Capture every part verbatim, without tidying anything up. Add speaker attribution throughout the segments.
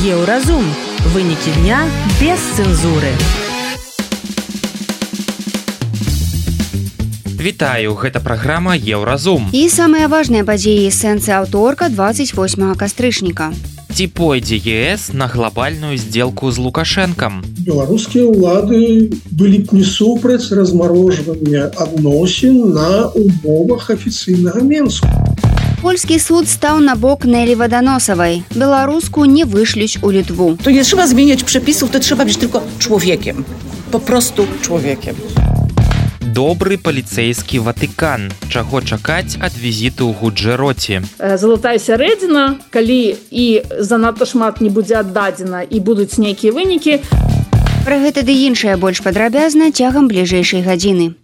Speaker 1: Еўразум. Вынікі дня без цэнзуры.
Speaker 2: Вітаю, гэта праграма Еўразум.
Speaker 3: І самыя важныя падзеі сэнсы аўторка двадцать восьмага кастрычніка.
Speaker 2: Ці пойдзе ЕС на глобальную сделку з Лукашэнкам?
Speaker 4: Беларускія ўлады былі б не супраць размарожвання адносін на умовах афіцыйнага Менску.
Speaker 3: Польскі суд стał na bok Neli Wodonosowej. Białorusku nie wyśleć u Litwu.
Speaker 5: To nie trzeba zmieniać przepisów, to trzeba być tylko człowiekiem. Po prostu człowiekiem.
Speaker 2: Добры паліцэйскі Ватыкан. Чаго чакаць ад візіту ў Гуджэроце?
Speaker 6: Залатая сярэдзіна, калі і занадта шмат не будзе аддадзена і будуць нейкія вынікі.
Speaker 3: Пра гэта ды іншае больш падрабязна цягам бліжэйшай гадзіны.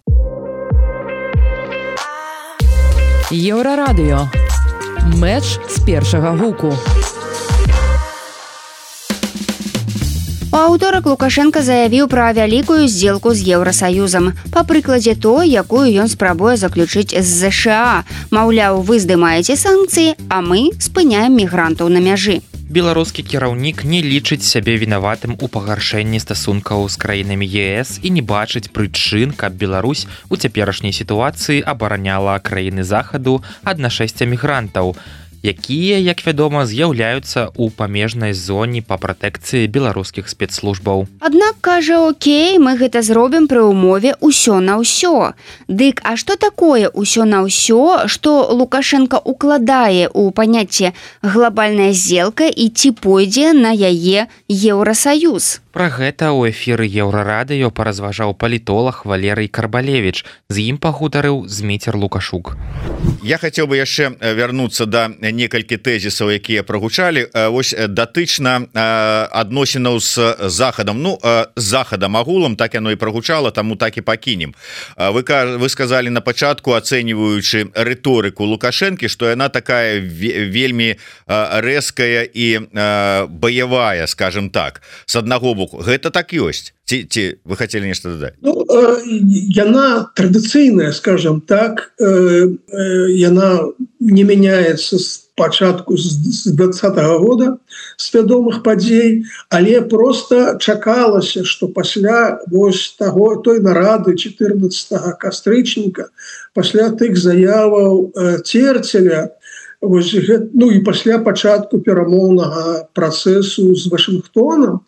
Speaker 1: Еўрарадыё. Мэч з першага гуку.
Speaker 3: У аўторак Лукашенко заявіў пра вялікую здзелку з Еўрасаюзам. Па прыкладзе той, якую ён спрабуе заключыць з ЗША. Маўляў, вы здымаеце санкцыі, а мы спыняем мігрантаў на мяжы.
Speaker 2: Беларускі кіраўнік не лічыць сябе вінаватым у пагаршэнні стасункаў з краінамі ЕС і не бачыць прычын, каб Беларусь у цяперашняй сітуацыі абараняла краіны захаду ад нашэсця мігрантаў, якія, як вядома, з'яўляюцца ў памежнай зоне па пратэкцыі беларускіх спецслужбаў.
Speaker 3: Аднак, кажа, окей, мы гэта зробім пры ўмове ўсё на ўсё. Дык, а што такое ўсё на ўсё, што Лукашенко укладае ў паняцце глобальная здзелка і ці пойдзе на яе Еўрасаюз?
Speaker 2: Пра гэта ў эфіры Еўрарадыё паразважаў палітолог Валерый Карбалевич. З ім пагутарыў Зміцер Лукашук.
Speaker 7: Я хацеў бы яшчэ вярнуцца да некалькі тэзісаў, якія прагучалі. Вось датычна адносінаў з захадам. Ну, з захадам агулам так яно і прагучала, таму так і пакінем. Вы, вы сказалі на пачатку, ацэньваючы рыторыку Лукашэнкі, што яна такая вельмі рэзкая і баявая, скажем так. З аднаго боку, гэта так ёсць. Ці, ці вы хотели нешта дадаць?
Speaker 4: Ну, э, яна традыцыйная, скажем так, э, э, яна не мяняецца з пачатку з двадцатага года, з вядомых падзей, але просто чакалася, што пасля вось таго той нарады чатырнаццатага кастрычніка, пасля тых заяваў э, Церцеля, вось, ну і пасля пачатку перамоўнага працэсу з Вашынгтонам,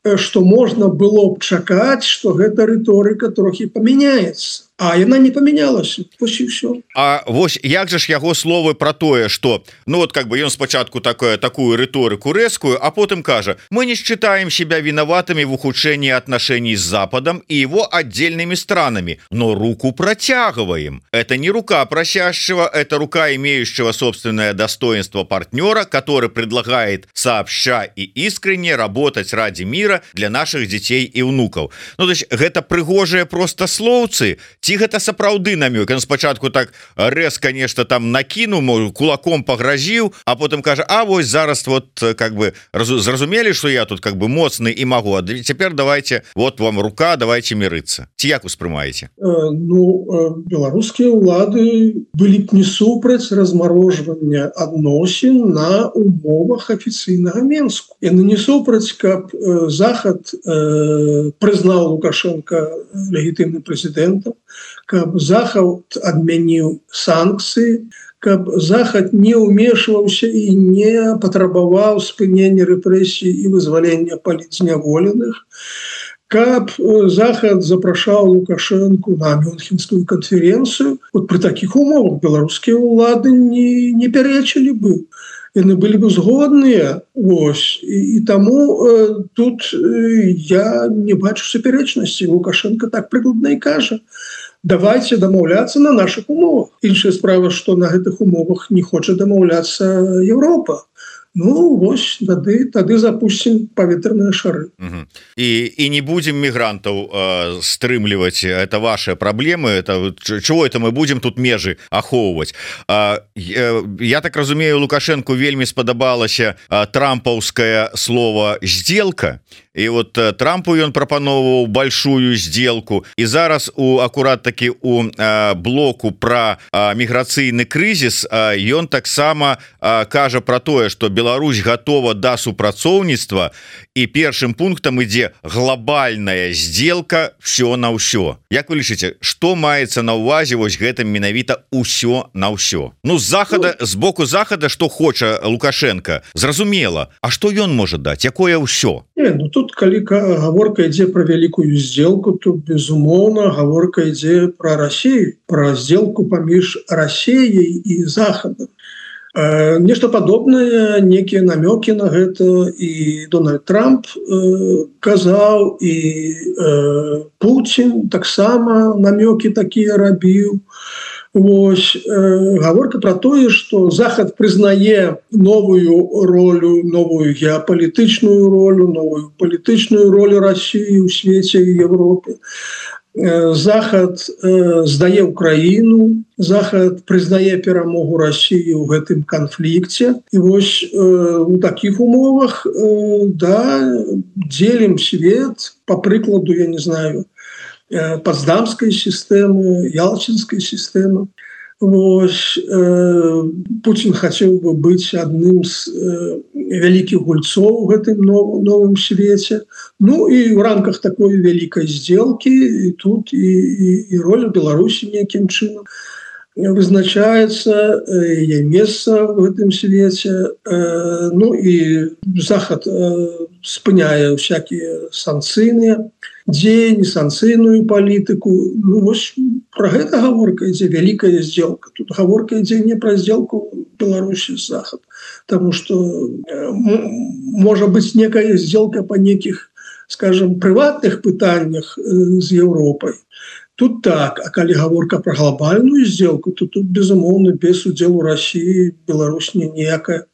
Speaker 4: што можна было б чакаць, што гэта рыторыка трохі памяняецца. А яна не памянялася. Вось і ўсё.
Speaker 7: А вось як жа ж яго словы пра тое, што ну вот как бы ён спачатку такое такую рыторыку рэзкую, а потым кажа: мы не считаем себя виноватыми в ухудшении отношений с Западом и его отдельными странами, но руку протягиваем. Это не рука просящего, это рука имеющего собственное достоинство партнера, который предлагает сообща и искренне работать ради мира для наших детей и внуков. Ну то есть гэта прыгожыя просто слоўцы. Ці гэта сапраўды намёк? Ён спачатку так рэзка нешта там накінуў, кулаком пагразіў, а потым кажа: а вось зараз вот как бы зразумелі, што я тут как бы моцны і магу, а цяпер давайте, вот вам рука, давайте мірыцца. Ці як успрымаеце?
Speaker 4: Э, ну, э, беларускія ўлады былі б не супраць размарожвання адносін на умовах афіцыйнага Менску. Яны не супраць, каб э, Захад э, прызнаў Лукашенко легітымным прэзідэнтам, каб Захад адмяніў санкцыі, каб Захад не ўмешваўся і не патрабаваў спынення рэпрэсій і вызвалення палітзняволеных, каб Захад запрашаў Лукашэнку на Мюнхенскую канферэнцыю. Вот пры такіх умовах беларускія ўлады не, не пярэчылі бы. Яны былі бы згодныя. Вось. І, і таму э, тут э, я не бачу супярэчнасці. Лукашенко так прыкладна і кажа: давайте дамаўляцца на наших умовах. Іншая справа, што на гэтых умовах не хоча дамаўляцца Еўропа. Ну, вось, тады, тады запустим паветраныя шары.
Speaker 7: Угу. І, і не будем мігрантаў э, стрымліваць. Это ваши проблемы. Это, чего это мы будем тут межы ахоўваць? Э, э, я так разумею, Лукашенку вельмі спадабалася э, трампаўскае слово «сделка». І вот э, Трампу ён прапановваў большую сделку. І зараз у акурат таки у э, блоку пра э, міграцыйны крызіс э, ён таксама э, кажа пра тое, што Беларусь Беларусь готова да супрацоўніцтва і першым пунктам ідзе глобальная сделка все на ўсё. Як вы лічыце, што маецца на ўвазе вось гэтым менавіта ўсё на ўсё? Ну з захада, з боку захада, што хоча Лукашенко, зразумела. А што ён можа даць? Якое ўсё?
Speaker 4: Не, ну тут калі гаворка ідзе про вялікую сделку, то безумоўна гаворка ідзе про Россию, про сделку паміж Россией и Захадом. Э, нешта падобнае, некія намёкі на гэта і Дональд Трамп э, казаў, і э, Путин таксама намёкі такія рабіў. Вось, э, гаворка про тое, что Захад признае новую ролю, новую геополитичную роль, новую политичную роль России в свете и Европе. Захад э, сдае Украину, Захад признае перамогу России в этом конфликте. И вот э, в таких умовах э, да, делим свет, по прикладу, я не знаю, э, Потсдамской системы, Ялтинской системы. Вот, э, Путин хотел бы быть одним из э, великих гульцов в этом нов, новом свете. Ну и в рамках такой великой сделки и тут и, и, и роль Беларуси неким чином вызначается, э, ей место в этом свете. Э, ну и Захад, э, спыняя всякие санкционные дзеянні, санкцыйную палітыку. Ну вось про гэта гаворка ідзе, великая сделка. Тут гаворка ідзе не про сделку Беларуси с Захад, потому что э, может быть некая сделка по неких, скажем, приватных пытаниях э, с Европой. Тут так, а калі гаворка про глобальную сделку, то тут безумоўна без удзелу России Беларусь ніякая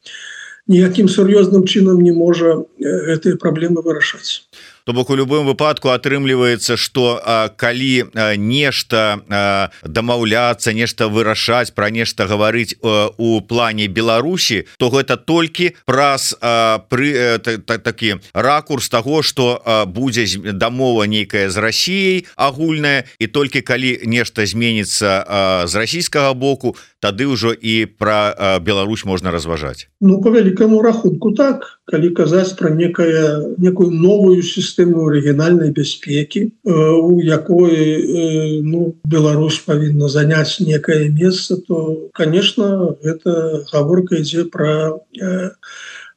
Speaker 4: ніякім сур'ёзным чынам не можа гэтыя праблемы вырашаць.
Speaker 7: То бок у любым выпадку атрымліваецца, што а, калі а, нешта а, дамаўляцца, нешта вырашаць, пра нешта гаварыць а, у плане Беларусі, то гэта толькі праз а, пры а, та, та, такі ракурс таго, што а, будзе дамова нейкая з Расіяй агульная, і толькі калі нешта зменіцца а, з расійскага боку, тады ўжо і пра а, Беларусь можна разважаць.
Speaker 4: Ну, по вялікаму рахунку так, калі казаць пра некая, некую новую сістэму сістэму рэгіянальнай бяспекі, у якой ну, Беларусь павінна заняць некае месца, то, конечно, гэта гаворка ідзе пра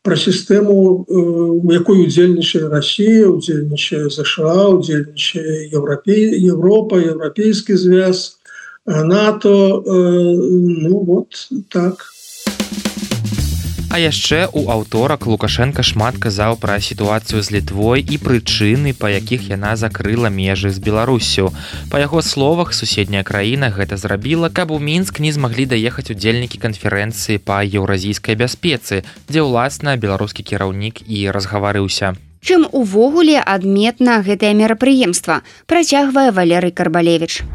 Speaker 4: пра сістэму, у якой удзельнічае Россия, удзельнічае США, удзельнічае Европей, Европа, Еўрапейскі звяз, НАТО, ну вот так.
Speaker 2: А яшчэ у аўторак Лукашенко шмат казаў пра сітуацыю з Літвой і прычыны, па якіх яна закрыла межы з Беларуссю. Па яго словах, суседняя краіна гэта зрабіла, каб у Мінск не змаглі даехаць удзельнікі канферэнцыі па еўразійскай бяспецы, дзе ўласна беларускі кіраўнік і разгаварыўся.
Speaker 3: Чым увогуле адметна гэтае мерапрыемства, працягвае Валерый Карбалевіч.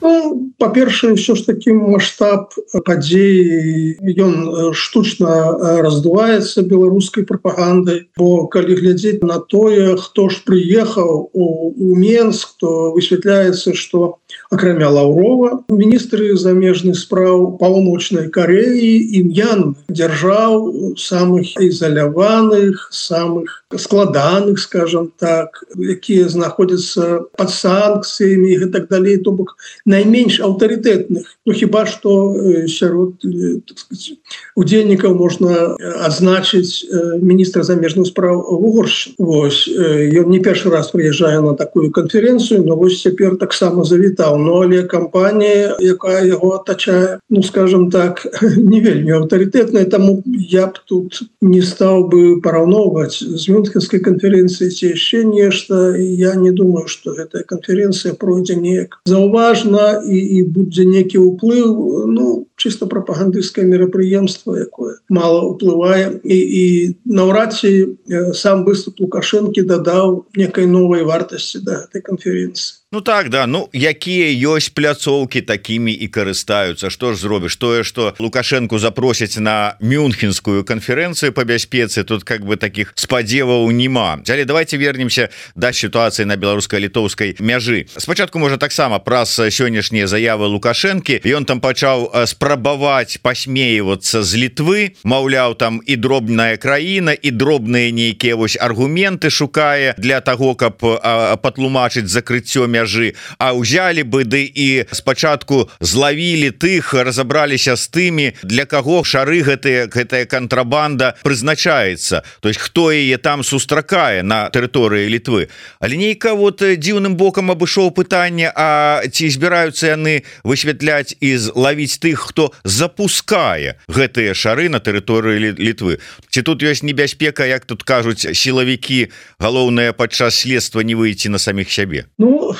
Speaker 4: Ну, па-першае, ўсё ж такі маштаб падзей, ён штучна раздуваецца беларускай прапагандай, бо калі глядзець на тое, хто ж прыехаў у, у Менск, то высвятляецца, што акрамя Лаўрова, міністры замежных спраў Паўночнай Карэі і М'янмы, дзяржаў самых ізаляваных, самых складаных, скажем так, якія знаходзяцца пад санкцыямі і так далей, то бок найменш аўтарытэтных. Ну хіба што сярод, так сказать, удзельнікаў можна адзначыць міністра замежных спраў Угоршчыны. Вось ён не першы раз прыязджае на такую канферэнцыю, но вось цяпер таксама завітаў. Ну але кампанія, якая яго атачае, ну скажем так, не вельмі аўтарытэтная, таму я б тут не стаў бы параўноўваць з Мюнхенскай канферэнцыі ці яшчэ нешта. Я не думаю, што гэтая канферэнцыя пройдзе неяк заўважна і, і будзе некі ўплыў, ну чисто прапагандысцкае мерапрыемства, якое мала ўплывае, і, і наўрад ці сам выступ Лукашэнкі дадаў некай новай вартасці да гэтай канферэнцыі.
Speaker 7: Ну так, да, ну якія ёсць пляцоўкі, такімі і карыстаюцца. Што ж зробіш? Тое, што Лукашэнку запросяць на Мюнхенскую канферэнцыю па бяспецы, тут как бы такіх спадзеваў няма. Але давайте вернемся да сітуацыі на беларуска-літоўскай мяжы. Спачатку можа таксама праз сённяшнія заявы Лукашэнкі. Ён там пачаў спрачацца спрабаваць пасмеивацца з Літвы, маўляў, там і дробная краіна, і дробныя нейкія вось аргументы шукае для того, каб патлумачыць закрыццё мяжы, а ўзялі бы ды і спачатку злавілі тых, разабраліся з тымі, для каго шары гэтыя гэтая кантрабанда прызначаецца, то есть хто яе там сустракае на тэрыторыі Літвы. Але нейка вот дзіўным бокам абышоў пытанне, а ці збіраюцца яны высвятляць і лавіць тых, хто запускае гэтыя шары на тэрыторыі Літвы. Ці тут ёсць небяспека, як тут кажуць сілавікі, галоўнае падчас следства не выйти на самих сябе?
Speaker 4: Ну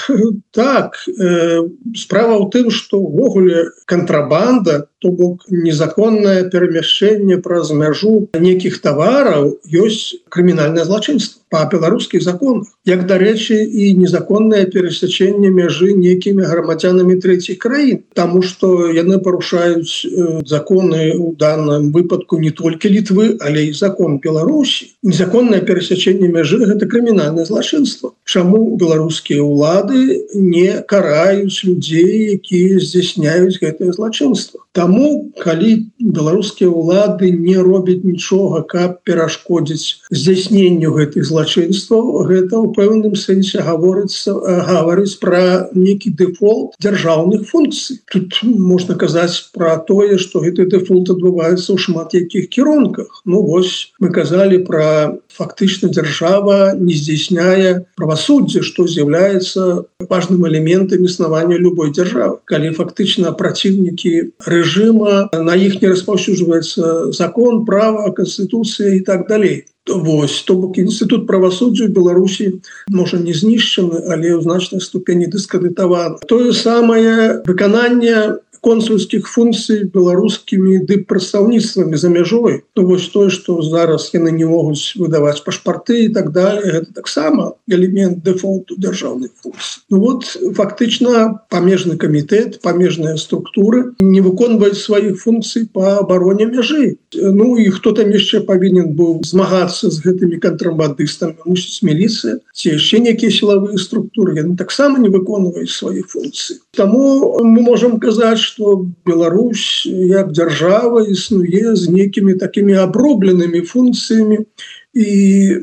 Speaker 4: так, э, справа ў тым, што ўвогуле кантрабанда, то бок незаконнае перамяшчэнне праз мяжу нейкіх тавараў ёсць крымінальнае злачынства па беларускіх законах. Як, дарэчы, і незаконнае перасячэнне мяжы нейкімі грамадзянамі трэціх краін, таму што яны парушаюць э, законы ў данным выпадку не толькі Літвы, але і закон Беларусі. Незаконнае перасячэнне мяжы гэта крымінальнае злачынства. Чаму беларускія ўлады не караюць людзей, якія здзяйсняюць гэтае злачынства? Таму, калі беларускія ўлады не робяць нічога, каб перашкодзіць здзяйсненню гэтых злачынстваў, гэта ў пэўным сэнсе гаворыцца гаварыць пра нейкі дэфолт дзяржаўных функцый. Тут можна казаць пра тое, што гэты дэфолт адбываецца ў шмат якіх кірунках. Ну вось мы казалі пра фактычна дзяржава не здзяйсняе правасуддзе, што з'яўляецца важным элементам існавання любой дзяржавы. Калі фактычна праціўнікі рэжыма, на іх не распаўсюджваецца закон, права, канстытуцыя і так далей. Вось, то бок інстытут правасуддзя ў Беларусі можа не знішчаны, але ў значнай ступені дыскрэдытаваны. Тое самае выкананне консульскіх функцый беларускімі дыппрадстаўніцтвамі за мяжой. То вось тое, што зараз яны не могуць выдаваць пашпарты і так далее, гэта таксама элемент дэфолту дзяржаўных функцый. Ну вот фактычна памежны камітэт, памежныя структуры не выконваюць сваіх функцый па абароне мяжы. Ну і хто там яшчэ павінен быў змагацца з гэтымі кантрабандыстамі, мусіць міліцыя, ці яшчэ нейкія сілавыя структуры, яны таксама не выконваюць свае функцыі. Таму мы можам казаць, што Беларусь як дзяржава існуе з нейкімі такімі абробленымі функцыямі, і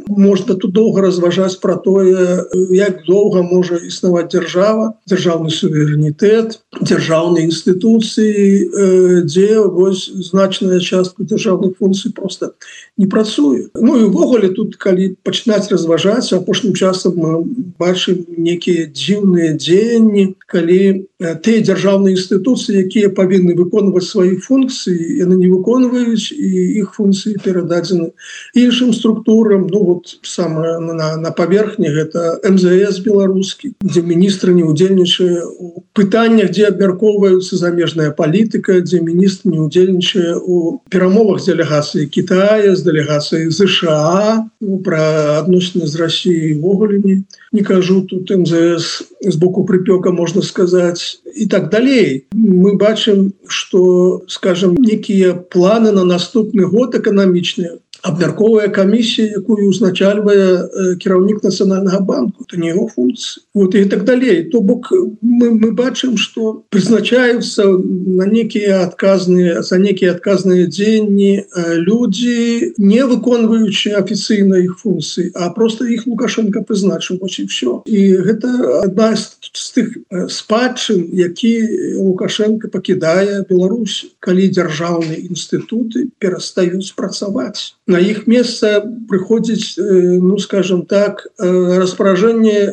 Speaker 4: можна тут доўга разважаць пра тое, як доўга можа існаваць дзяржава, дзяржаўны суверэнітэт, дзяржаўныя інстытуцыі, дзе вось значная частка дзяржаўных функцый проста не працуе. Ну і ўвогуле тут, калі пачынаць разважаць, апошнім часам мы бачым нейкія дзіўныя дзеянні, калі тыя дзяржаўныя інстытуцыі, якія павінны выконваць свае функцыі, яны не выконваюць, і іх функцыі перададзены іншым структурам. Ну вот самое на, на паверхні гэта эм зэ эс беларускі, дзе міністр не ўдзельнічае у пытаннях, дзе абмяркоўваюцца замежная палітыка, дзе міністр не ўдзельнічае у перамовах з дэлегацыяй Кітая, з дэлегацыяй ЗША, ну, пра адносіны з Расіяй ўвогуле не, не кажу, тут эм зэ эс з боку прыпёка, можна сказаць, і так далей. Мы бачым, што, скажем, некія планы на наступны год эканамічныя абмярковая камісія, якую узначальвае кіраўнік Нацыянальнага банку, это не яго функцыя. Вот і так далей. То бок мы, мы бачым, што прызначаюцца на некія адказныя, за некія адказныя дзеянні людзі, не выконваючы афіцыйна іх функцыі, а просто іх Лукашенко прызначыў, вось і ўсё. І гэта адна з, з тых спадчын, які Лукашенко пакідае Беларусь, калі дзяржаўныя інстытуты перастаюць працаваць. На іх месца прыходзіць, ну, скажем так, распаражэнне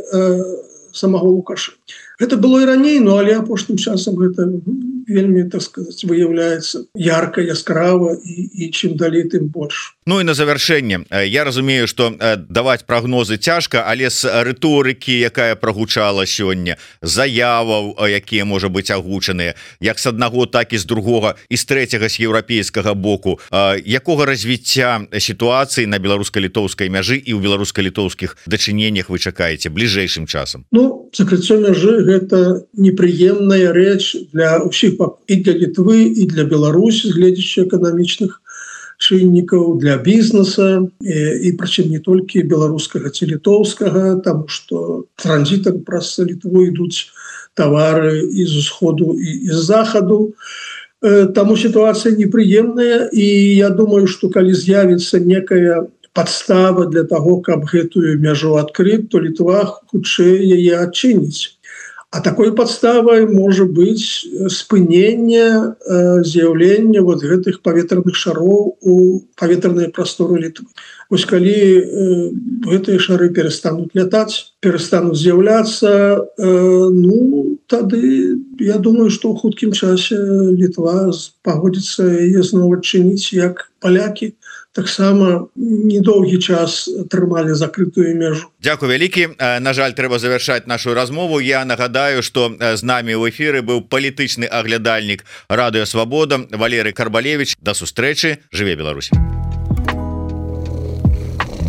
Speaker 4: самого Лукашенко. Гэта было і раней, но але апошнім часам гэта вельмі, так сказать, выяўляецца ярка, яскрава, і, і чым далей, тым больш.
Speaker 7: Ну і на завяршэнне, я разумею, што даваць прагнозы цяжка, але з рыторыкі, якая прагучала сёння, заяваў, якія можа быць агучаныя, як з аднаго, так і з другога, і з трэцяга, з еўрапейскага боку, якога развіцця сітуацыі на беларуска-літоўскай мяжы і ў беларуска-літоўскіх дачыненнях вы чакаеце бліжэйшым часам?
Speaker 4: Ну, закрыццё мяжы гэта непрыемная рэч для ўсіх, і для Літвы, і для Беларусі, гледзячы эканамічных чыннікаў, для бізнеса, і, і прычым не толькі беларускага ці літоўскага, таму што транзітам праз Літву ідуць тавары і з усходу, і з захаду. Таму ситуация неприемная, и я думаю, что калі з'явится некая подстава для того, каб гэтую мяжу открыть, то Литва хутчэй яе адчыніць. А такой подставой может быть спынение э, з'яўлення вот гэтых паветраных шаров у паветраныя прасторы Литвы. Вось калі э, гэтыя шары перестанут летать, перестанут з'яўляцца, э, ну, тады я думаю, что ў хуткім часе Литва пагодзіцца яе зноў адчыніць, як палякі таксама недоўгі час трымалі закрытую мяжу.
Speaker 7: Дзякуй вялікі. На жаль, трэба завяршаць нашу размову. Я нагадаю, што з намі ў эфіры быў палітычны аглядальнік Радыё Свабода Валерый Карбалевич. Да сустрэчы. Жыве Беларусь.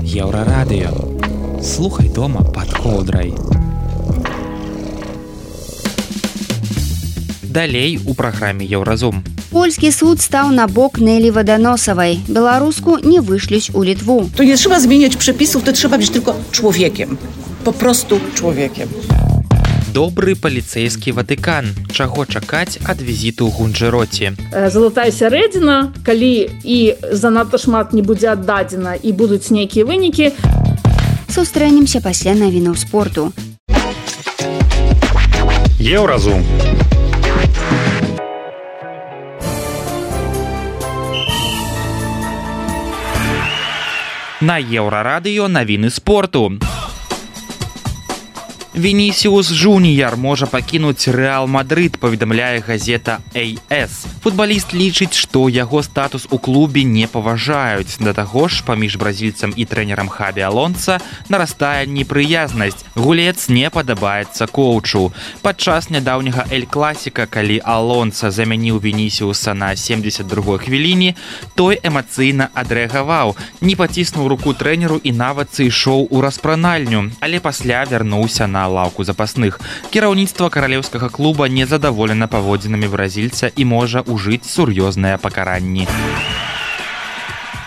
Speaker 2: Еўрарадыё. Слухай дома пад коўдрай. Далей у праграме Еўразум.
Speaker 3: Польскі суд стał na bok Neli Wodonosowej. Białorusku nie wyśleć u Litwu.
Speaker 5: To nie trzeba zmieniać przepisów, to trzeba być tylko człowiekiem. Po prostu człowiekiem.
Speaker 2: Добры паліцэйскі Ватыкан. Чаго чакаць ад візіту ў Гунджэроце?
Speaker 6: Залатая сярэдзіна, калі і занадта шмат не будзе аддадзена і будуць нейкія вынікі.
Speaker 3: Сустрэнемся пасля навінаў спорту.
Speaker 8: Еўразум.
Speaker 2: На Еўрарадыё навіны спорту. Вінісіус Жуніяр можа пакінуць Рэал Мадрид, паведамляе газета эй эс. Футбаліст лічыць, што яго статус у клубе не паважаюць. Да таго ж, паміж бразільцам і трэнерам Хабі Алонса нарастае непрыязнасць. Гулец не падабаецца коучу. Падчас нядаўняга Эль-Класіка, калі Алонса замяніў Вінісіуса на семдзесят другой хвіліне, той эмацыйна адрэагаваў, не паціснуў руку трэнеру і нават сышоў у распранальню, але пасля вярнуўся на лаўку запасных. Кіраўніцтва каралеўскага клуба незадаволена паводзінамі бразільца і можа ўжыць сур'ёзныя пакаранні.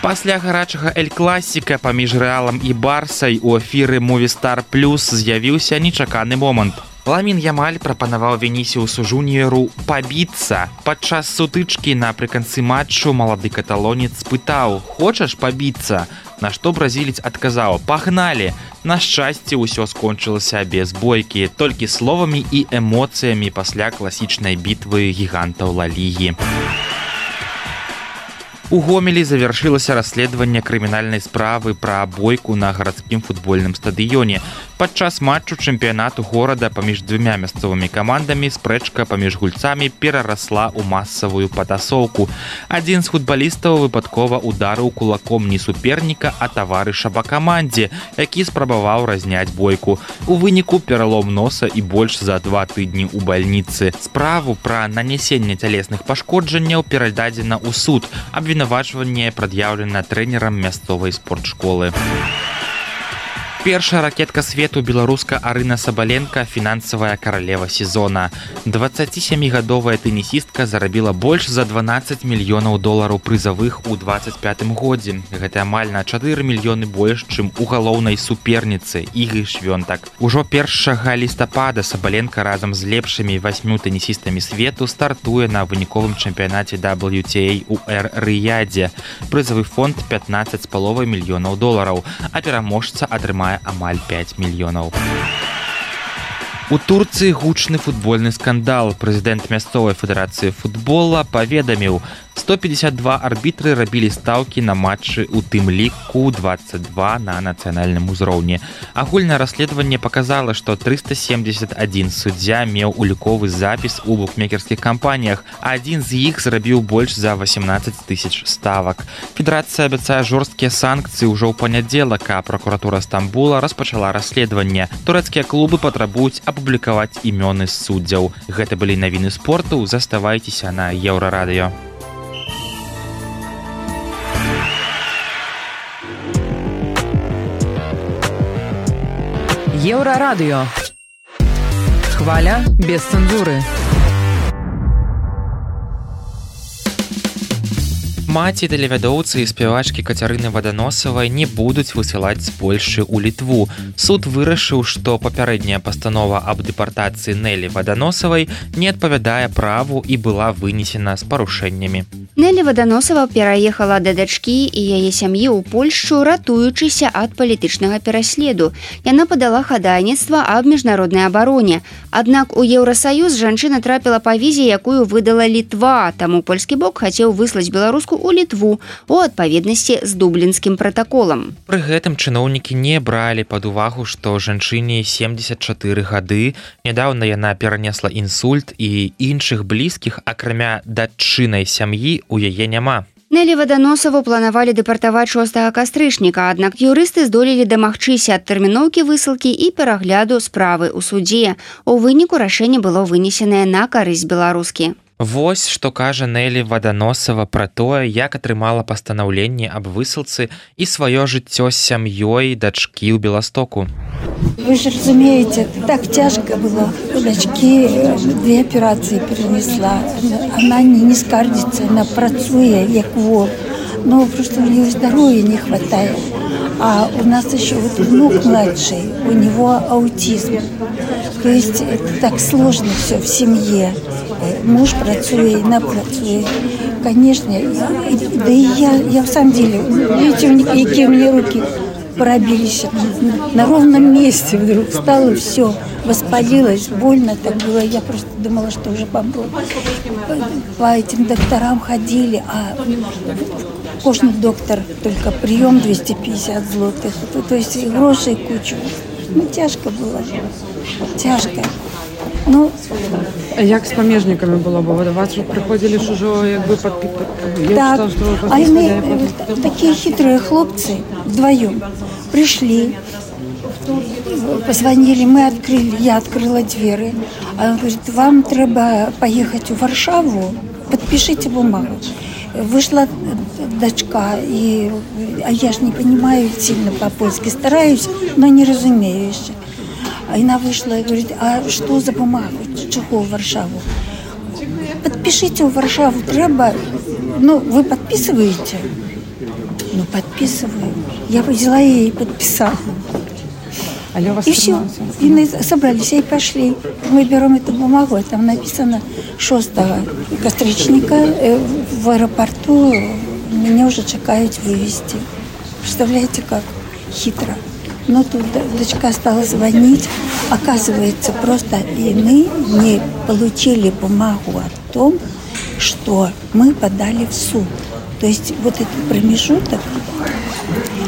Speaker 2: Пасля гарачага Эль-Класіка паміж Рэалам і Барсай у эфіры Movistar Plus з'явіўся нечаканы момант. Ламін Ямаль прапанаваў Вінісіусу Жуніяру пабіцца. Падчас сутычкі напрыканцы матчу малады каталонец спытаў: «Хочаш пабіцца?» На што бразілец адказаў: «Пагналі!» На шчасце, ўсё скончылася без бойкі, толькі словамі і эмоцыямі пасля класічнай бітвы гігантаў Ла Лігі. У Гомелі завяршылася расследаванне крымінальнай справы пра бойку на гарадскім футбольным стадыёне. Падчас матчу чэмпіянату горада паміж двумя мясцовымі камандамі спрэчка паміж гульцамі перарасла ў масавую патасоўку. Адзін з футбалістаў выпадкова ударыў кулаком не суперніка, а таварыша па камандзе, які спрабаваў разняць бойку. У выніку пералом носа і больш за два тыдні ў бальніцы. Справу пра нанясенне цялесных пашкоджанняў перададзена ў суд. Абвінавачванне прад'яўлена трэнерам мясцовай спортшколы. Першая ракетка свету, беларуска Арына Сабаленка, фінансавая каралева сезона. дваццацісямігадовая тэнісістка зарабіла больш за дванаццаць мільёнаў долараў прызавых у дваццаць пятым годзе. Гэта амаль на чатыры мільёны больш, чым у галоўнай суперніцы Ігі Швёнтак. Ужо першага лістапада Сабаленка разам з лепшымі васьмю тэнісістамі свету стартуе на выніковым чэмпіянаце дабл ю ти эй у Эр-Рыядзе. Прызавы фонд пятнаццаць з паловай мільёнаў долараў, а пераможца атрымае амаль пяць мільёнаў. У Турцыі гучны футбольны скандал. Прэзідэнт мясцовай федэрацыі футбола паведаміў: сто пятьдесят два арбітры рабілі стаўкі на матчы, у тым ліку дваццаць два на нацыянальным узроўні. Агульнае расследаванне паказала, што трыста семьдесят адзін суддзя меў уліковы запіс у букмекерскіх кампаніях, а адзін з іх зрабіў больш за восемнадцаць тысяч ставак. Федэрацыя абяцае жорсткія санкцыі ўжо ў панядзелак, а пракуратура Стамбула распачала расследаванне. Турэцкія клубы патрабуюць апублікаваць імёны суддзяў. Гэта былі навіны спорту. Заставайцеся на Еўрарадыё.
Speaker 1: Еўрарадыё. Хваля без цэнзуры.
Speaker 2: Маці тэлевядоўцы і спявачкі Кацярыны Ваданосавай не будуць высылаць з Польшчы ў Літву. Суд вырашыў, што папярэдняя пастанова аб дэпартацыі Нелі Ваданосавай не адпавядае праву і была вынесена з парушэннямі.
Speaker 3: Нелі Ваданосава пераехала да дачкі і яе сям'і ў Польшчу, ратуючыся ад палітычнага пераследу. Яна падала хадайніцтва аб міжнароднай абароне. Аднак у Еўрасаюз жанчына трапіла па візе, якую выдала Літва, таму польскі бок хацеў выслаць беларуску ў Літву у адпаведнасці з дублінскім пратаколам.
Speaker 2: Пры гэтым чыноўнікі не бралі пад увагу, што жанчыне семдзесят чатыры гады, нядаўна яна перанесла інсульт і іншых блізкіх, акрамя датчынай сям'і, у яе няма.
Speaker 3: Нелі Ваданосаву планавалі дэпартаваць шостага кастрычніка, аднак юрысты здолелі дамагчыся ад тэрміноўкі высылкі і перагляду справы ў судзе. У выніку рашэнне было вынесенае на карысць беларускі.
Speaker 2: Вось што кажа Нелі Ваданосава пра тое, як атрымала пастанаўленне аб высылцы і сваё жыццё з сям'ёй дачкі ў Беластоку.
Speaker 8: Вы же разумеете, так тяжко было. У дочки две операции перенесла. Она не, не скардится, она працуе, як вол. Но просто у нее здоровья не хватает. А у нас еще вот внук младший, у него аутизм. То есть это так сложно все в семье. Муж працует, она працует. Конечно, да и я, я в самом деле, видите, какие у меня руки пробились на ровном месте, вдруг стало все, воспалилось, больно так было. Я просто думала, что уже помру. По этим докторам ходили, а кожный доктор только прием двести пятьдесят злотых. То есть и грошей кучу. Ну, тяжко было. Тяжко. Ну,
Speaker 9: як з памежниками було? Бо до вас приходили ж уже якби підпитати.
Speaker 8: Так, а они такие хитрые хлопцы вдвоем пришли, позвонили, мы открыли, я открыла двери, а он говорит, вам треба поехать в Варшаву, подпишите бумагу. Вышла дочка, и, а я ж не понимаю сильно по-польски, стараюсь, но не разумею еще. Она вышла и говорит, а что за бумагу, чего в Варшаву? Подпишите в Варшаву, треба, ну, вы подписываете? Ну, подписываю. Я взяла ее и подписала. И все, и мы собрались и пошли. Мы берем эту бумагу, а там написано шостого кастрычника в аэропорту, меня уже чекают вывести. Представляете, как хитро. Но тут дочка стала звонить. Оказывается, просто и мы не получили бумагу о том, что мы подали в суд. То есть вот этот промежуток,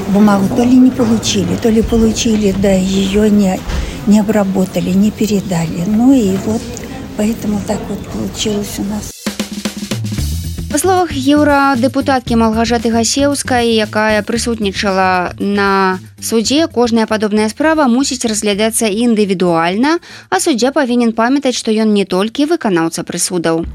Speaker 8: бумагу то ли не получили, то ли получили, да ее не, не обработали, не передали. Ну и вот поэтому так вот получилось у нас.
Speaker 3: Па словах еўрадэпутаткі Малгажаты Гасеўскай, якая прысутнічала на судзе, кожная падобная справа мусіць разглядацца індывідуальна, а суддзя павінен памятаць, што ён не толькі выканаўца прысудаў.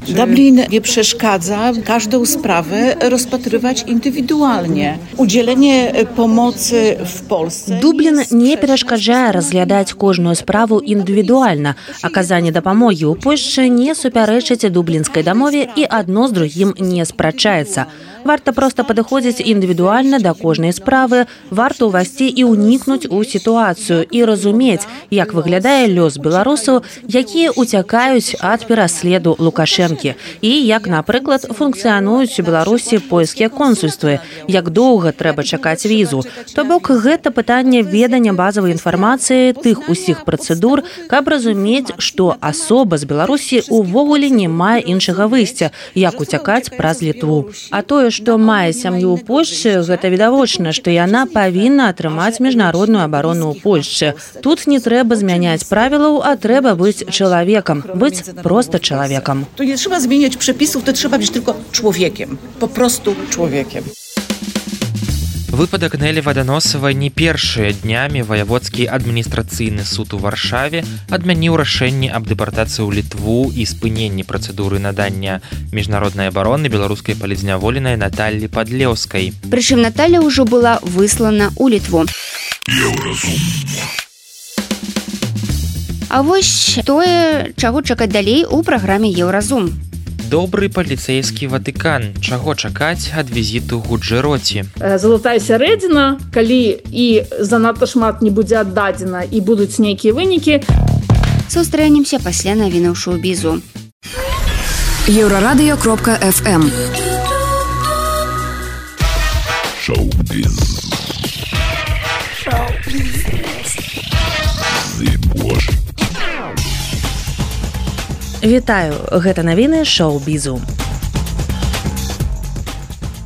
Speaker 5: Dublin nie przeszkadza każdą sprawę rozpatrywać indywidualnie. Udzielenie pomocy w Polsce...
Speaker 1: Дублін не перашкаджае разглядаць кожную справу індывідуальна. Аказанне дапамогі ў Польшчы не супярэчыць дублінскай дамове і адно з другім не спрачаецца. Варта проста падыходзіць індывідуальна да кожнай справы, варта ўвайсці і ўнікнуць у сітуацыю і разумець, як выглядае лёс беларусаў, якія ўцякаюць ад пераследу Лукашэнкі, і як, напрыклад, функцыянуюць у Беларусі польскія консульствы, як доўга трэба чакаць візу. То бок гэта пытанне ведання базавай інфармацыі тых усіх працэдур, каб разумець, што асоба з Беларусі ўвогуле не мае іншага выйсця, як уцякаць праз Літву. А тое, што мае сям'ю ў Польшчы, гэта відавочна, што яна павінна атрымаць міжнародную абарону ў Польшчы. Тут не трэба змяняць правілаў, а трэба быць чалавекам, быць проста чалавекам.
Speaker 5: Tu nie trzeba zmieniać przepisów, to trzeba być tylko człowiekiem. Po prostu człowiekiem.
Speaker 2: Выпадак Нелі Ваданосавай не першыя днямі ваяводскі адміністрацыйны суд у Варшаве адмяніў рашэнне аб дэпартацыі ў Літву і спыненні працэдуры надання міжнароднай абароны беларускай палізняволенай Наталлі Падлеўскай.
Speaker 3: Прычым Наталля ўжо была выслана ў Літву. А вось тое, чаго чакаць далей у праграме Еўразум.
Speaker 2: Добры паліцэйскі Ватыкан. Чаго чакаць ад візіту Гуджэроці?
Speaker 6: Залатая сярэдзіна, калі і занадта шмат не будзе аддадзена і будуць нейкія вынікі.
Speaker 3: Сустрэнемся пасля навінаў шоу-бізу.
Speaker 10: Еўрарадыё кропка эф эм. Шоу-біз.
Speaker 1: Вітаю, гэта навіны шоу-бізу.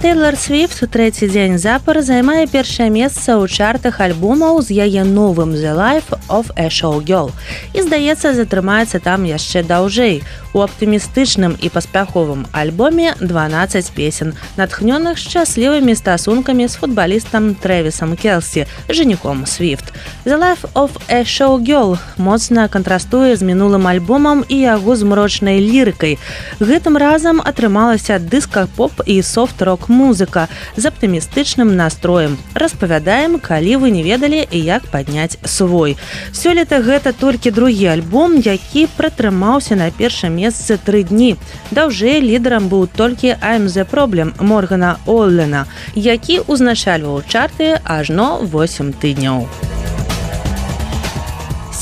Speaker 1: Тэйлар Свіфт трэці дзень запар займае першае месца ў чартах альбомаў з яе новым «The Life of a Showgirl» і, здаецца, затрымаецца там яшчэ даўжэй. У аптымістычным і паспяховым альбоме дванаццаць песен, натхнёных шчаслівымі стасункамі з футбалістам Трэвісам Келсі, жаніхом Свіфт. «The Life of a Showgirl» моцна кантрастуе з мінулым альбомам і яго змрочнай лірыкай. Гэтым разам атрымалася дыска-поп і софт-рок музыка з аптымістычным настроем. Распавядаем, калі вы не ведалі, як падняць свой. Сёлета гэта толькі другі альбом, які пратрымаўся на першым месцы тры дні. Даўжэй лідарам быў толькі «I'm the Problem» Моргана Оллена, які ўзначальваў чарты ажно восем тыдняў.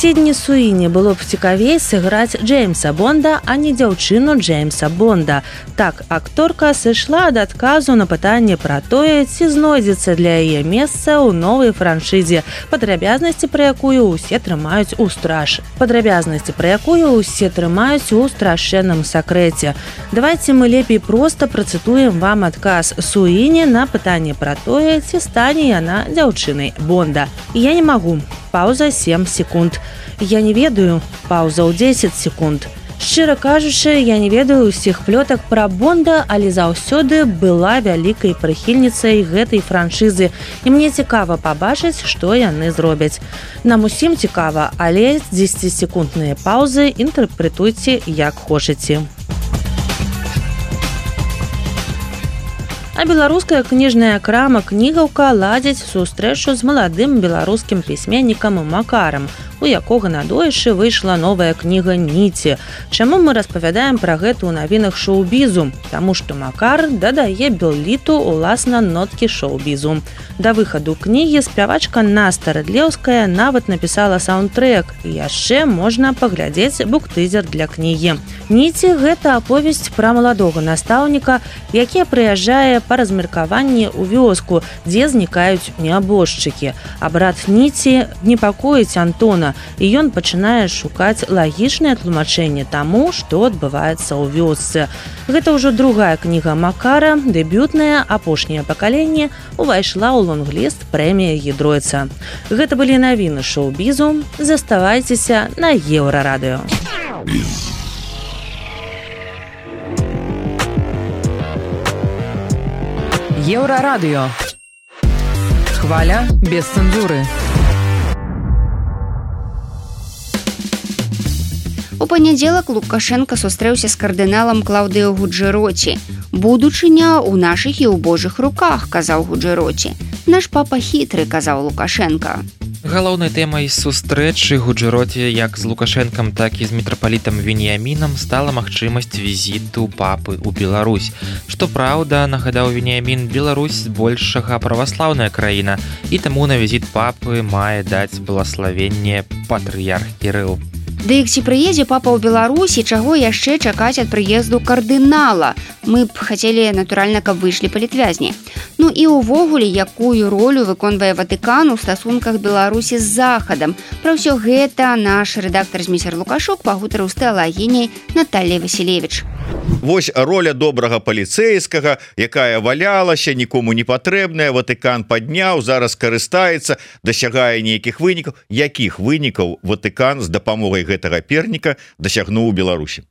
Speaker 1: Сідні Суіні было б цікавей сыграць Джеймса Бонда, а не дзяўчыну Джеймса Бонда. Так, акторка сышла ад адказу на пытанне пра тое, ці знойдзецца для яе месца ў новай франшызе, падрабязнасці пра якую ўсе трымаюць у страж. Падрабязнасці пра якую ўсе трымаюць у страшэнным сакрэце. Давайце мы лепей проста працытуем вам адказ Суіні на пытанне пра тое, ці стане яна дзяўчынай Бонда. Я не магу. Пауза сем секунд. Я не ведаю. Пауза ў дзесяць секунд. Шчыра кажучы, я не ведаю ўсіх плётак пра Бонда, але заўсёды была вялікай прыхільніцай гэтай франшызы. І мне цікава пабачыць, што яны зробяць. Нам усім цікава, але дзесяцісекундныя паўзы інтэрпрэтуйце як хочаце. А беларуская кніжная крама «Кнігаўка» ладзіць сустрэчу з маладым беларускім пісьменнікам Макарам, у якога надоішы выйшла новая кніга «Ніці». Чаму мы распавядаем пра гэта ў навінах шоу-бізу? Таму што Макар дадае Белліту уласна ноткі шоу-бізу. Да выхаду кнігі спявачка Наста Рыдлеўская нават напісала саундтрэк, і яшчэ можна паглядзець буктызер для кнігі. «Ніці» – гэта аповесць пра маладога настаўніка, які прыязджае па размеркаванні ў вёску, дзе знікаюць нябожчыкі. А брат Ніці непакоіць Антона, і ён пачынае шукаць лагічнае тлумачэнне таму, што адбываецца ў вёсцы. Гэта ўжо другая кніга Макара, дэбютная, апошняе пакаленне, увайшла ў лонгліст прэмія Гідройца. Гэта былі навіны шоу-бізу. Заставайцеся на Еўрарадыё.
Speaker 10: Еўрарадыё. Хваля без цэнзуры.
Speaker 3: У панядзелак Лукашенка сустрэўся з кардыналам Клаўдыё Гуджэроці. «Будучыня ў нашых і ў Божых руках», – казаў Гуджэроці. «Наш папа хітры», – казаў Лукашенка.
Speaker 2: Галоўнай тэмай сустрэчы Гуджэроці як з Лукашэнкам, так і з мітрапалітам Веніямінам стала магчымасць візіту папы ў Беларусь. Што праўда, нагадаў Веніямін, Беларусь збольшага праваслаўная краіна, і таму на візіт папы мае даць благаславенне патрыярх Кірыл.
Speaker 3: Дык ці прыедзе папа ў Беларусь і чаго яшчэ чакаць ад прыезду кардынала? Мы б хацелі, натуральна, каб выйшлі палітвязні. Ну і ўвогуле, якую ролю выконвае Ватыкан у стасунках Беларусі з Захадам? Пра ўсё гэта наш рэдактар Зміцер Лукашук пагутарыў з тэалагіняй Натальяй Васілевіч.
Speaker 7: Вось роля добрага паліцэйскага, якая валялася, нікому не патрэбная, Ватыкан падняў, зараз карыстаецца, дасягае нейкіх вынікаў. Якіх вынікаў Ватыкан з дапамогай гэтага перніка дасягнуў у Беларусі?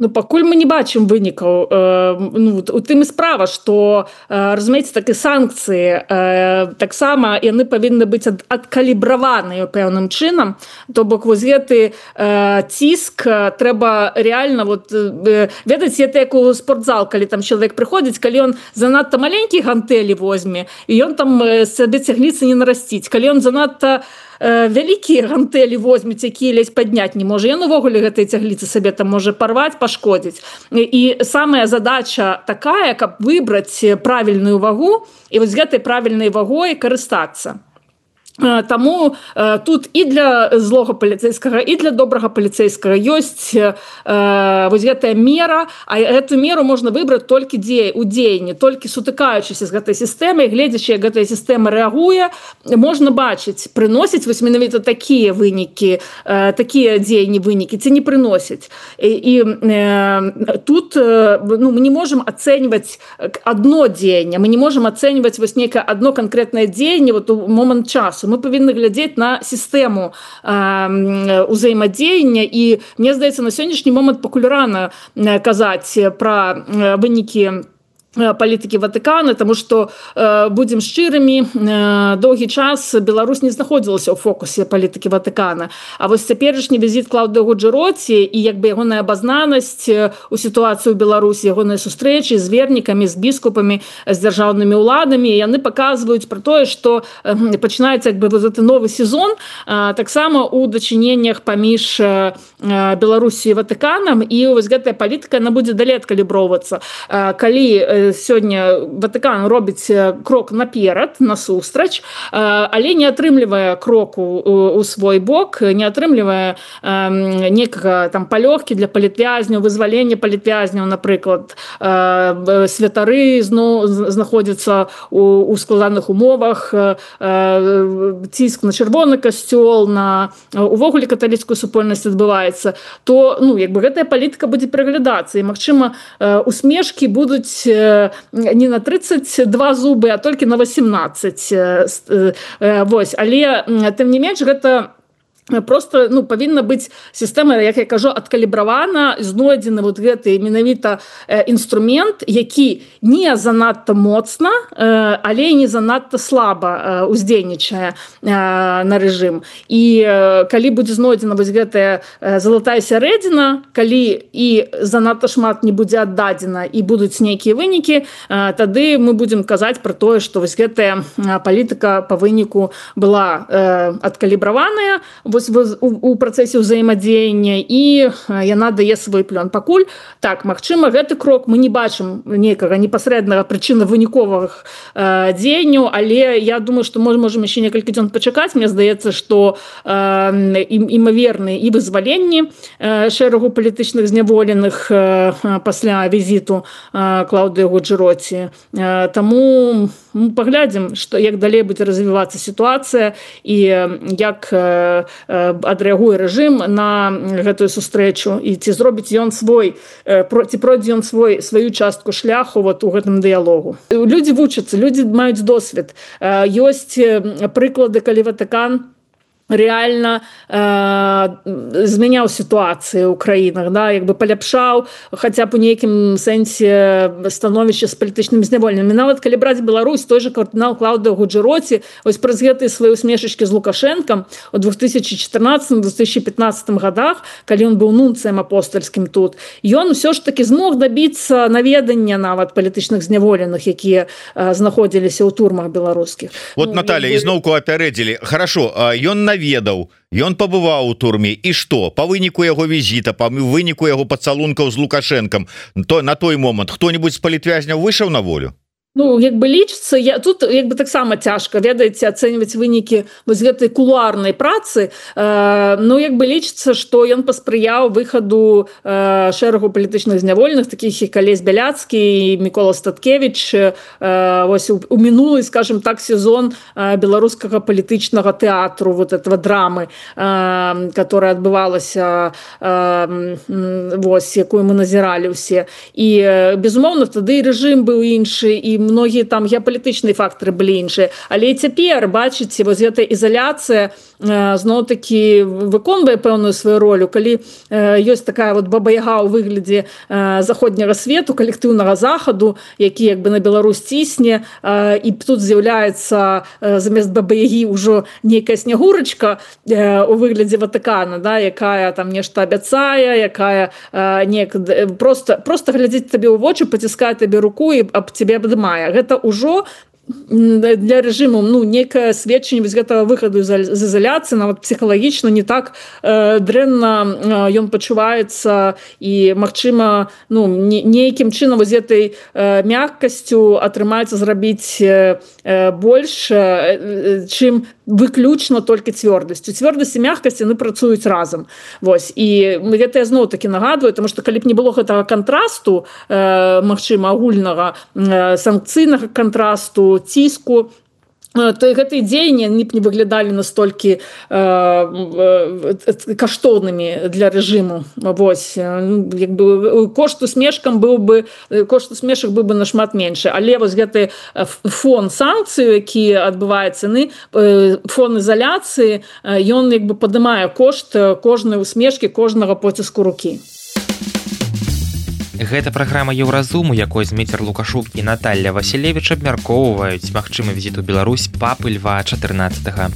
Speaker 6: Ну, пакуль мы не бачым вынікаў. Э, ну, у тым і справа, што, э, разумееце, так і санкцыі э, таксама яны павінны быць ад, адкалібраваныя пэўным чынам. То бок вось гэты э, ціск трэба рэальна вот, э, ведаць, это як у спортзал, калі там чалавек прыходзіць, калі ён занадта маленькі гантэлі возьме, і ён там сабе цягніцы не нарасціць. Калі ён занадта э, вялікія гантэлі возьмець, якія ледзь падняць не можа, ён увогуле гэтай цягліцы сабе там можа парваць, пашкодзіць. І, і самая задача такая, каб выбраць правільную вагу і вось гэтай правільнай вагой карыстацца. Таму э, тут і для злога паліцэйскага, і для добрага паліцэйскага ёсць э, вось гэтая мера, а эту меру можна выбраць толькі дзе, у дзеянні, толькі сутыкаючыся з гэтай сістэмай, гледзячы, як гэтая сістэма рэагуе, можна бачыць, прыносіць вось менавіта такія вынікі, э, такія дзеянні вынікі, ці не прыносіць. І, і э, тут э, ну, мы не можам ацэньваць адно дзеянне, мы не можам ацэньваць вось нейкае адно канкрэтнае дзеянне вот у момант часу. Мы павінны глядзець на сістэму э, узаемадзеяння, і мне здаецца, на сённяшні момант пакуль рана казаць пра вынікі палітыкі Ватыкана, таму што э, будзем шчырымі, э, доўгі час Беларусь не знаходзілася ў фокусе палітыкі Ватыкана. А вось цяперашні візіт Клаўдыі Гуджэроці і як бы ягоная абазнанасць у сітуацыі ў Беларусі, ягоныя сустрэчы з вернікамі, з біскупамі, з дзяржаўнымі ўладамі, яны паказваюць пра тое, што э, пачынаецца як бы вот гэты новы сезон, э, таксама у дачыненнях паміж э, Беларусі і Ватыканам, і вось гэтая палітыка, она будзе далей адкаліброўвацца. Э, калі сёння Ватыкан робіць крок наперад, насустрач, але не атрымлівае кроку у свой бок, не атрымлівае некага там палёгкі для палітвязняў, вызвалення палітвязняў, напрыклад, святары зноў знаходзяцца у, у складаных умовах, ціск на чырвоны касцёл, на увогуле каталіцкую супольнасць адбываецца, то ну, як бы гэтая палітыка будзе праглядацца, і, магчыма, усмешкі будуць не на тридцать два зубы, а толькі на восемнадцать. Вось, але тым не менш гэта просто ну, павінна быць сістэма, як я кажу, адкалібравана, знойдзены вот гэты менавіта інструмент, які не занадта моцна, але не занадта слаба уздзейнічае на рэжым. І калі будзе знойдзена вось гэтая залатая сярэдзіна, калі і занадта шмат не будзе аддадзена і будуць нейкія вынікі, тады мы будзем казаць пра тое, што вось гэтая палітыка па выніку была адкалібраваная, у працэсе ўзаемадзеяння, і яна дае свой плён. Пакуль так, магчыма, гэты крок мы не бачым нейкага непасрэднага прычына выніковых э, дзеянняў, але я думаю, што мы можам яшчэ некалькі дзён пачакаць. Мне здаецца, што э, імаверны і вызваленні э, шэрагу палітычных зняволеных э, пасля візіту э, Клаўдыі Гуджэроці. Э, таму мы паглядзім, што як далей будзе развівацца сітуацыя і як э, адрэагуе рэжым на гэтую сустрэчу, і ці зробіць ён свой, ці пройдзе ён свой сваю частку шляху вот у гэтым дыялогу. Людзі вучацца, людзі маюць досвед. Ёсць прыклады, калі Ватыкан реально э, змяняў сітуацыю ў краінах, да, як бы паляпшаў хаця б у нейкім сэнсе становішча з палітычнымі зняволенымі. Нават калі браць Беларусь, той жа кардынал Клаўдыя Гуджэроці, вось праз гэтыя свае усмешачкі з Лукашэнкам у две тысячи четырнадцатым - две тысячи пятнадцатым годах, калі ён быў нунцыем апостальскім тут, ён усё ж таки змог дабіцца наведання нават палітычных зняволеных, якія э, знаходзіліся ў турмах беларускіх.
Speaker 7: Вот, ну, Наталья, ізноўку апярэдзілі. Хорошо, ён на ведаў, ён пабываў у турме, і што па выніку яго візіта, па выніку яго пацалункаў з Лукашэнкам, то на той момант хто-небудзь з палітвязняў выйшаў на волю?
Speaker 6: Ну, як бы лічыцца, я тут як бы таксама цяжка, ведаеце, ацэньваць вынікі вось гэтай кулуарнай працы, э, ну, як бы лічыцца, што ён паспрыяў выхаду э, шэрагу палітычных зняволеных, такіх як Алесь Бяляцкі і Мікола Статкевіч, э, вось у, у мінулы, скажем так, сезон э, беларускага палітычнага тэатру, вот этого драмы, э, которая адбывалася, э, вось, якую мы назіралі ўсе. І, э, безумоўна, тады і рэжым быў іншы, і многія там геапалітычныя фактары былі іншыя, але і цяпер бачыце, вось гэтая ізаляцыя э, зноў-такі выконвае пэўную сваю ролю, калі э, ёсць такая вот баба-яга ў выглядзе э, заходняга свету, калектыўнага захаду, які як бы на Беларусь цісне, э, і тут з'яўляецца э, замест баба-ягі ўжо нейкая снягурачка э, у выглядзе Ватыкана, да, якая там нешта абяцае, якая э, нек... просто, просто глядзіць табе ў вочы, паціскае табе руку і аб цябе абдымае. Гэта ўжо для рэжыму ну некае сведчанне з гэтага выхаду з ізаляцыі нават псіхалагічна не так э, дрэнна ён пачуваецца і магчыма ну не, нейкім чынам з гэтай э, мяккасцю атрымаецца зрабіць э, больш э, чым выключна толькі цвёрдасцю цвёрдасць і мяккасць яны працуюць разам вось і гэта я зноў такі нагадваю тому што калі б не было гэтага кантрасту э, магчыма агульнага э, санкцыйнага кантрасту ціску то гэтыя дзеянні не б не выглядалі настолькі э, э, каштоўнымі для рэжыму вось як бы кошт усмешкам быў бы кошт усмешак быў бы нашмат меншы але вось гэты фон санкцыю які адбываецца яны фон ізаляцыі ён як бы падымае кошт кожнай усмешкі кожнага поціску рукі.
Speaker 2: Гэта праграма Еўразуму, якой Зміцер Лукашук і Наталля Васілевіч абмяркоўваюць магчымы візіт у Беларусь папы Льва чатырнаццатага.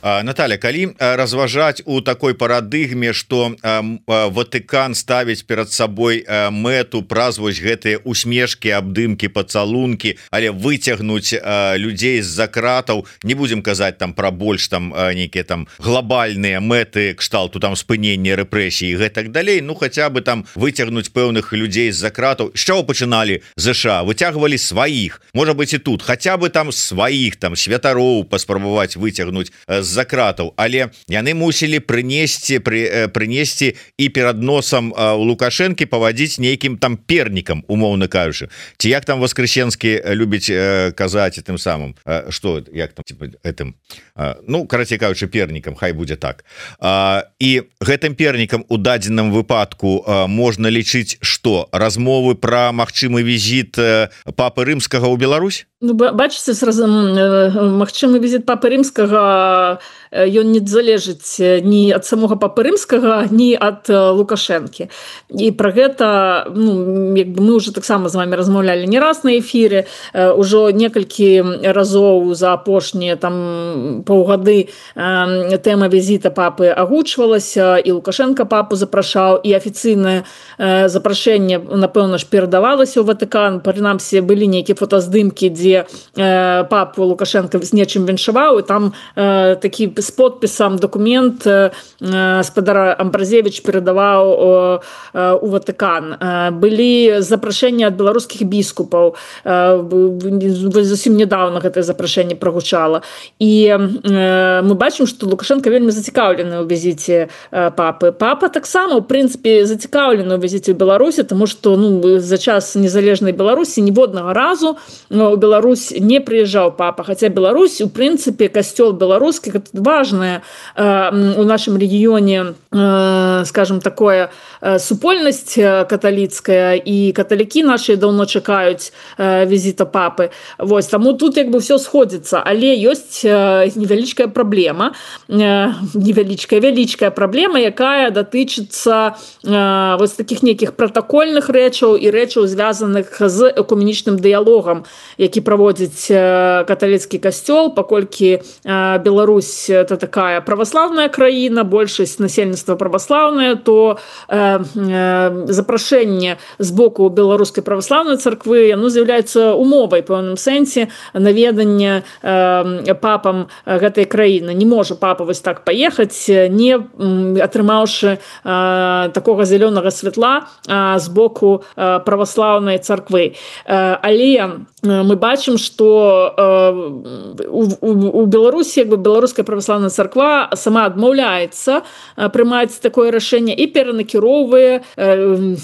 Speaker 7: Наталья, калі разважаць у такой парадыгме, што Ватыкан ставіць перад сабой мэту праз вось гэтыя усмешкі, абдымкі, пацалункі, але выцягнуць людзей з-за кратаў, не будзем казаць там пра больш там нейкія там глобальныя мэты кшталту там спынення рэпрэсій і гэтак далей, ну хаця бы там выцягнуць пэўных людзей з-за кратаў. З чаго пачыналі ЗША? Выцягвалі сваіх, можа быць і тут, хаця бы там сваіх там святароў паспрабаваць выцягнуць з-за кратаў, але яны мусілі прынесці пры, прынесці і перад носам у Лукашэнкі павадзіць нейкім там пернікам, умоўна кажучы. Ці як там Воскресенскі любіць э, казаць тым самым, э, што як там типа, гэтым э, ну карацей кажучы пернікам, хай будзе так. Э, і гэтым пернікам у дадзеным выпадку э, можна лічыць што размовы пра магчымы візіт э, папы рымскага ў Беларусь?
Speaker 6: Ну, бачыце, магчымы візіт папы рымскага ён не залежыць ні ад самога папы рымскага, ні ад Лукашэнкі. І пра гэта ну, як бы мы ўжо таксама з вами размаўлялі не раз на эфіры, ўжо некалькі разоў за апошнія там паўгады тэма візіта папы агучвалася, і Лукашенко папу запрашаў, і афіцыйнае запрашэнне, напэўна ж, перадавалася ў Ватыкан. Прынамсі, былі нейкія фотаздымкі, дзе папу Лукашенко з нечым віншаваў, і там э, такі з подпісам документ э, спадара Амбразевіч перадаваў э, у Ватыкан. Э, былі запрашэнні ад беларускіх біскупаў, э, зусім недавно гэтае запрашэнне прагучала. І э, мы бачым, што Лукашенко вельмі зацікаўлены ў візіце э, папы. Папа таксама, у прынцыпе, зацікаўлены ў візіце ў Беларусі, тому што ну, за час незалежнай Беларусі ніводнага разу у Беларусі Беларусь не прыязджаў папа, хаця Беларусь, у прынцыпе, касцёл беларускі, гэта важная э, у нашым рэгіёне, э, скажем, такое э, супольнасць каталіцкая, і каталікі нашыя даўно чакаюць э, візіта папы. Вось, таму тут як бы ўсё сходзіцца, але ёсць э, невялічкая праблема, э, невялічкая, вялічкая праблема, якая датычыцца э, вось такіх нейкіх пратакольных рэчаў і рэчаў, звязаных з экуменічным дыялогам, які праводзіць каталіцкі касцёл, паколькі Беларусь это такая праваслаўная краіна, большасць насельніцтва праваслаўная, то запрашэнне з боку беларускай праваслаўнай царквы яно з'яўляецца умовай пэўным сэнсе наведання папам гэтай краіны. Не можа папа вось так паехаць, не атрымаўшы такога зялёнага святла з боку праваслаўнай царквы. Але мы бачым, што э, у, у, у Беларусі як бы беларуская праваслаўная царква сама адмаўляецца прымаць такое рашэнне і перанакіроўвае э,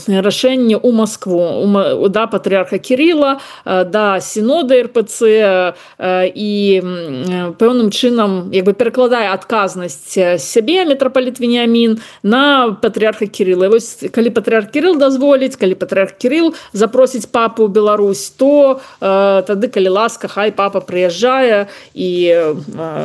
Speaker 6: рашэнне ў Маскву, у, да патрыарха Кірыла, э, да сінода эр пэ цэ э, і э, пэўным чынам як бы перакладае адказнасць сябе мітрапаліт Веніамін на патрыарха Кірыла. І вось калі патрыарх Кірыл дазволіць, калі патрыарх Кірыл запросіць папу ў Беларусь, то тады, калі ласка, хай папа прыязджае і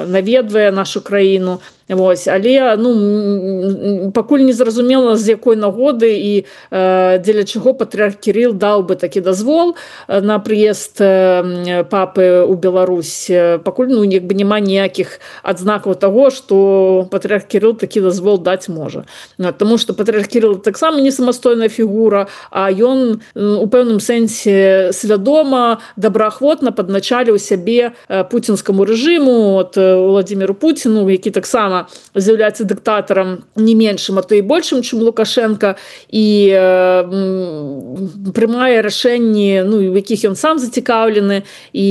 Speaker 6: наведвае нашу краіну. Вось, але ну пакуль не зразумела, з якой нагоды і э, дзеля чаго патрыарх Кірыл даў бы такі дазвол на прыезд э, папы ў Беларусь. Пакуль ну як бы няма ніякіх адзнакаў таго, што патрыарх Кірыл такі дазвол даць можа. Таму што патрыарх Кірыл таксама не самастойная фігура, а ён у пэўным сэнсе свядома, добраахвотна падначаліў сябе пуцінскаму рэжыму, от Владзіміру Пуціну, які таксама з'яўляецца дыктатарам не меншым, а то і большым, чым Лукашенко, і э, прымае рашэнні, ну, у якіх ён сам зацікаўлены, і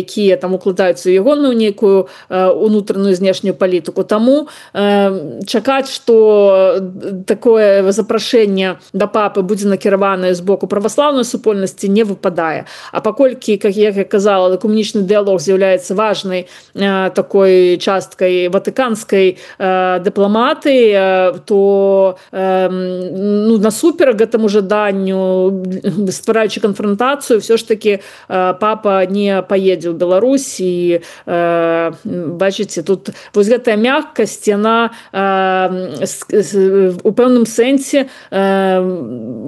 Speaker 6: якія там укладаюцца ў ягоную нейкую э, унутраную знешнюю палітыку. Таму э, чакаць, што такое запрашэнне да папы будзе накіраванае з боку праваслаўнай супольнасці, не выпадае. А паколькі, як я казала, экуменічны дыялог з'яўляецца важнай э, такой часткай ватыканскай э, дыпламатыі, э, то э, ну, насуперак гэтаму жаданню, ствараючы канфронтацыю, ўсё ж такі э, папа не паедзе ў Беларусь. І э, бачыце, тут вось гэтая мяккасць, яна э, у пэўным сэнсе э,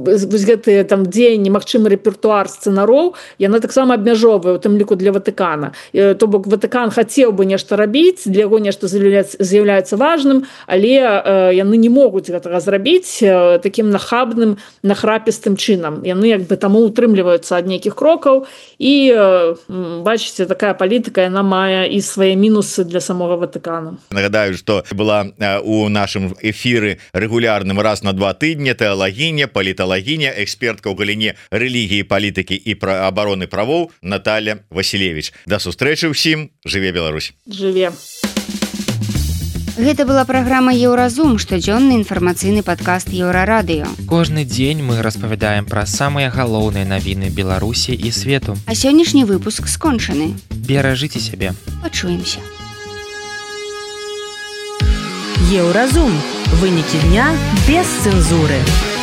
Speaker 6: вось гэтыя там дзеянні, магчымы рэпертуар сцэнароў, яна таксама абмяжоўвае, у тым ліку для Ватыкана. То бок Ватыкан хацеў бы нешта рабіць, для яго нешта з'яўляецца важным, але э, яны не могуць гэтага зрабіць э, такім нахабным, нахрапістым чынам. Яны як бы таму утрымліваюцца ад нейкіх крокаў, і э, бачыце, такая палітыка, яна мае і свае мінусы для самога Ватыкану.
Speaker 7: Нагадаю, што была у нашым эфіры рэгулярным раз на два тыдні тэалагіня, паліталагіня, экспертка ў галіне рэлігіі, палітыкі і пра абароны правоў Наталья Васілевіч. Да сустрэчы ўсім, жыве Беларусь.
Speaker 6: Жыве.
Speaker 3: Гэта была праграма Еўразум, штодзённы інфармацыйны падкаст Еўрарадыё.
Speaker 2: Кожны дзень мы распавядаем пра самыя галоўныя навіны Беларусі і свету.
Speaker 3: А сённяшні выпуск скончаны.
Speaker 2: Беражыце сябе.
Speaker 3: Пачуемся.
Speaker 1: Еўразум. Вынікі дня без цэнзуры.